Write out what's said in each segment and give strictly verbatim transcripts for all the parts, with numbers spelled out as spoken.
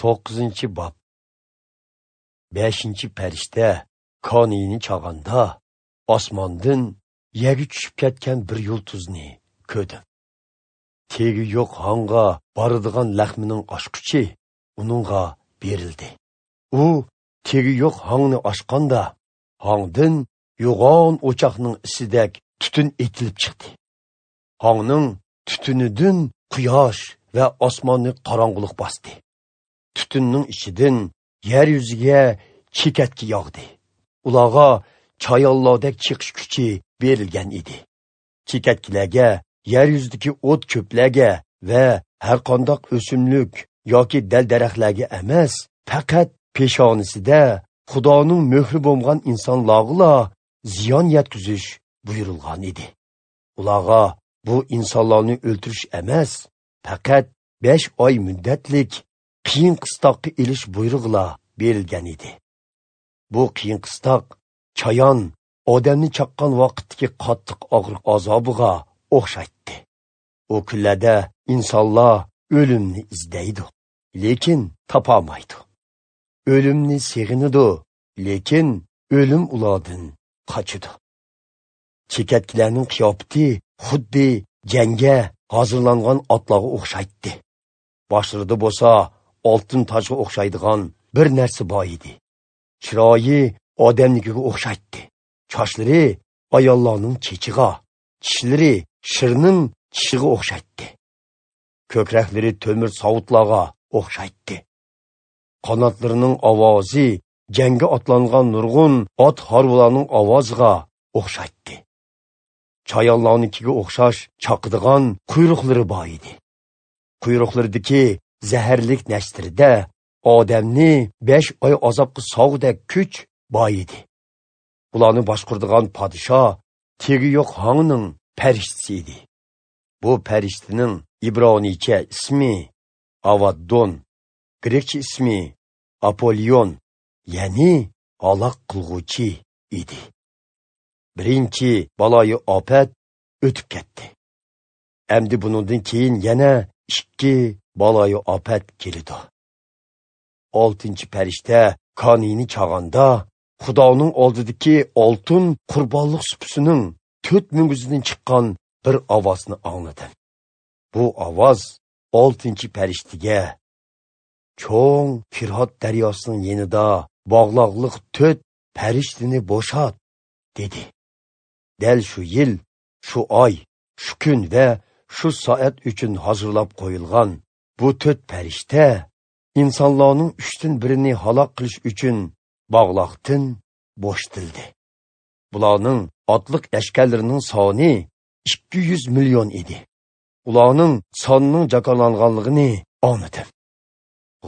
To'qqizinchi bob. Beshinchi farishta koniyni chag'anda osmondan yerga tushib ketgan bir yulduzni ko'rdim. Tegi yo'q hong'a boradigan laxmining ochqichi uningga berildi. U tegi yo'q hongni ochqanda hongdan yo'g'on o'choqning isidek tutun etilib chiqdi. Hongning tutunidan quyosh va osmonni qorong'ulik bosdi. Tutunning ichidan yer yuziga chekatki yog'di. Ularga chayonlardek chiqish kuchi berilgan edi. Chekatkilarga, yer yuzidagi o't cho'plarga va har qanday o'simlik yoki dal-daraxtlarga emas, faqat peshonisida Xudoning muhri bo'lgan insonlarga ziyon yetkazish buyurilgan edi. Ularga bu insonlarni o'ldirish emas, faqat besh oy muddatlik qiyin qistoqqa ilish buyrug'ila berilgan edi. Bu qiyin qistoq chayon odamni chaqqan vaqtdagi qattiq og'riq azobiga o'xshaydi. O kunlarda insonlar o'limni izlaydi, lekin topolmaydi. O'limni seg'inadi, lekin o'lim ulardan qochadi. Chekatkilarning qiyofati xuddi jangga hozirlangan otlarga o'xshaydi. Boshlarida bo'lsa oltin tojga o'xshaydigan bir narsa bor edi. Chiroyi odamnikiga o'xshaydi. Sochlari ayollarning chechiga, tishlari shirning tishiga o'xshaydi. Ko'kraklari temir sovutlarga o'xshaydi. Qanotlarining ovozi jangga otlangan nurg'un ot harvalarning ovoziga o'xshaydi. Chayonlarnikiga o'xshash chaqadigan quyruqlari bor edi. Quyruqlaridagi zaharlik nashtirida odamni besh oy azobga sog'dek kuch bor edi. Ularni boshquradigan podsho tegi yo'q hongning farishtasi edi. Bu farishtaning ibroniycha ismi Avaddon, grekcha ismi Apolion, ya'ni halok qilg'uvchi edi. Birinchi baloyi ofat o'tib ketdi. Endi buningdan keyin yana ikki baloyi ofat keldi. Oltinchi farishta koniyni chag'anda Xudoning oldidagi oltin qurbonlik supisining to'rt munguzidan chiqqan bir ovozni angladim. Bu ovoz oltinchi farishtaga cho'ng Firot daryosining yenida bog'loqliq to'rt farishtani bo'shat dedi. Dal shu yil, shu oy, shu kun va shu soat uchun hozirlab qo'yilgan bu to'rt farishta insonlarning uchdan birini halok qilish uchun bog'loqdan bo'shatildi. Bularning otliq lashkarlarining soni ikki yuz million edi. Ularning sonining jakollanganligini angladim.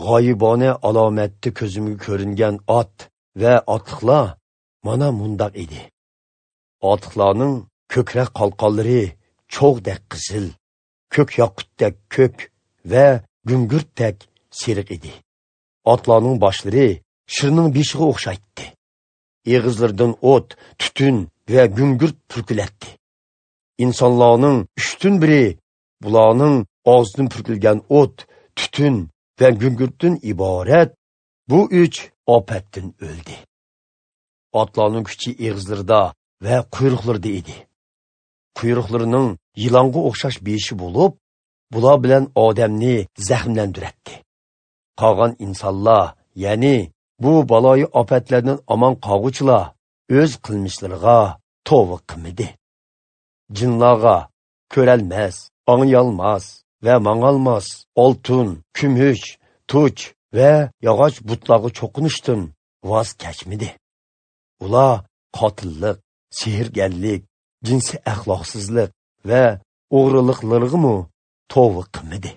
G'oyibona alomatda ko'zimga ko'ringan ot va otliqlar mana mundaq edi. Otliqlarning ko'krak qalqonlari cho'g'dek qizil, ko'k yoqutdek ko'k va gungurtdek seriq edi. Otlarning boshlari shirning beshiga o'xshaydi. Eg'izlaridan o't, tutun va gungurt purkilatdi. Insonlarning uchdan biri bularning og'zidan purkilgan o't, tutun va gungurtdan iborat bu uch ofatdan o'ldi. Otlarning kuchi eg'izlarida va quyruqlarida edi. Quyruqlarining yilonga o'xshash beshi bo'lib, bular bilan odamni zaxmlantiradi. Qolgan insonlar, ya'ni bu baloyi ofatlardan omon qolg'uvchilar o'z qilmishlariga tavba qilmadi. Jinlarga ko'ralmas, anglayolmas va mang'olmas oltin, kumush, tuch va yog'och butlarga cho'qinishdan voz kechmadi. Ular qotillik, sehrgarlik, jinsiy axloqsizlik va o'g'riliklarga tavba qilmadi.